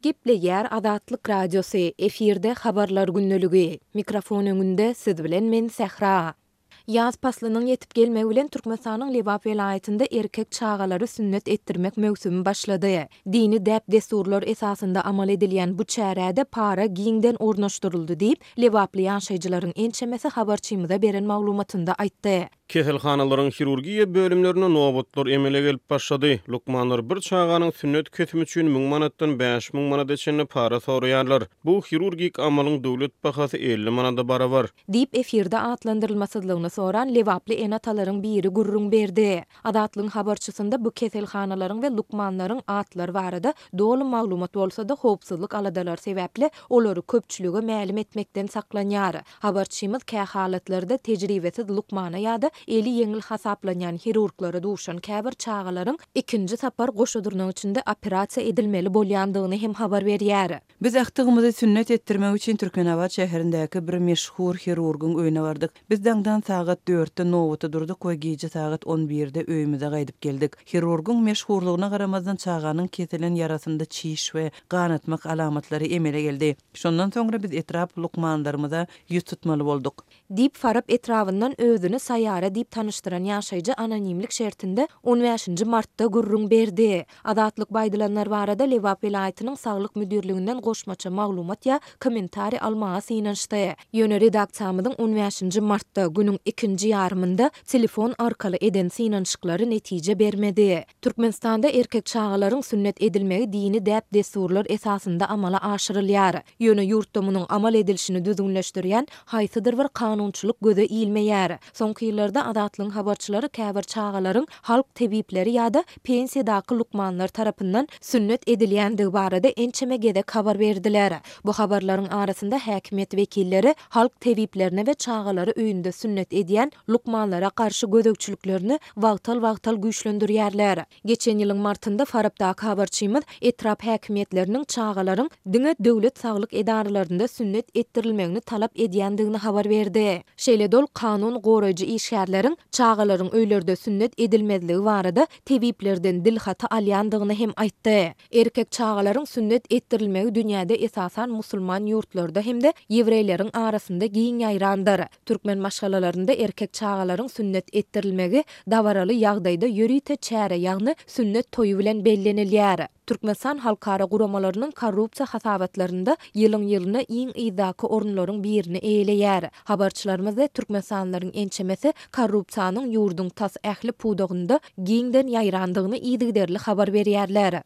Gepleýär Azatlyk Radiosy, efirde Habarlar gündeligi. Mikrofon öňünde siz bilen men Sähra. Ýaz paslynyň ýetip gelmegi bilen Türkmenistanyň Lebap welaýatynda erkek çagalary sünnet etdirmek möwsümi başlady. Dini däp-dessurlar esasynda amal edilýän bu çärä-de para giňden ornaşdyryldy diýip, lebaply ýaşaýjylaryň ençemesi habarçymyza beren maglumatynda aýtdy. Keselhanalaryň hirurgiýa bölümlerinde nobatlar emele gelip başlady. Lukmanlar bir çaganyň sünnet kesimi üçin müň manatdan 5000 manada çenli para soraýarlar. Bu hirurgik amalyň döwlet bahasy 50 manada barabar. Diýip, efirde atlandyrylmasyzlygyny soran lebaply ene-atalaryň biri gürrüň berdi. Azatlygyň habarçysynda bu keselhanalaryň we lukmanlaryň atlary barada doly maglumat bolsa-da, howpsuzlyk aladalary sebäpli olary köpçülige mälim etmekden saklanýar. Habarçymyz kähalatlarda tejribesiz lukmana ýa-da eli ýeňil hasaplanýan hirurglara duşan käbir çagalaryň ikinji sapar goşa dyrnak içinde operasiýa edilmeli bolýandygyny hem habar berýär. Biz agtygymyzy sünnet etdirmek üçin Türkmenabat şäherindäki bir meşhur hirurgyň öýüne bardyk. Biz daňdan sagat dörtde nobata durduk we gije sagat on birde öýümize gaýdyp geldik. Hirurgyň meşhurlygyna garamazdan çaganyň kesilen ýarasynda çiş we ganatmak alamatlary emele geldi. Şondan soňra biz etrap lukmanlarymyza ýüz tutmaly bolduk. Diýip, Farap etrabyndan özüni Saýara diýip tanyşdyran ýaşaýjy anonimlik şertinde on bäşinji martda gürrüň berdi. Azatlyk bu aýdylanlar barada Lebap welaýatynyň Saglyk müdirliginden goşmaça maglumat ýa kommentariý almaga synanyşdy. Ýöne redaksiýamyzyň on bäşinji martda, günüň ikinji ýarymynda telefon arkaly eden synanyşyklary netije bermedi. Türkmenistanda erkek çagalaryň sünnet edilmegi dini däp-dessurlar esasynda amala aşyrylýar. Ýöne ýurtda munuň amal edilişini düzgünleşdirýän haýsydyr bir kanunçylyk göze ilmeýär. Soňky ýyllarda Azatlygyň habarçylary käbir çagalaryň halk tebipleri ýa-da pensiýadaky lukmanlar tarapyndan sünnet edilýändigi barada ençeme gezek habar berdiler. Bu habarlaryň arasynda häkimiýet wekilleri halk tebiplerine we çagalary öýünde sünnet edýän lukmanlara garşy gözegçiliklerini wagtal-wagtal güýçlendirýärler. Geçen ýylyň martynda Farapdaky habarçymyz etrap häkimiýetleriniň çagalaryň diňe döwlet saglyk edaralarynda sünnet etdirilmegini talap edýändigini habar berdi. Şeýle-de ol kanun goraýjy işgärleriň çagalaryň öýlerde sünnet edilmezligi barada tebiplerden dilhaty alýandygyny hem aýtdy. Erkek çagalaryň sünnet etdirilmegi dünýäde esasan musulman ýurtlarda hem-de ýewreýleriň arasynda giň ýaýrandyr. Türkmen maşgalalarynda erkek çagalaryň sünnet etdirilmegi dabaraly ýagdaýda ýörite çäre, ýagny sünnet toýy bilen bellenilýär. Türkmenistan halkara guramalarynyň korrupsiýa hasabatlarynda ýylyň-ýylyna iň yzdaky orunlaryň birini eýeleýär. Habarçylarymyz we türkmenistanlylaryň ençemesi korrupsiýanyň ýurduň tas ähli pudagynda giňden ýaýrandygyny yzygiderli habar berýärler.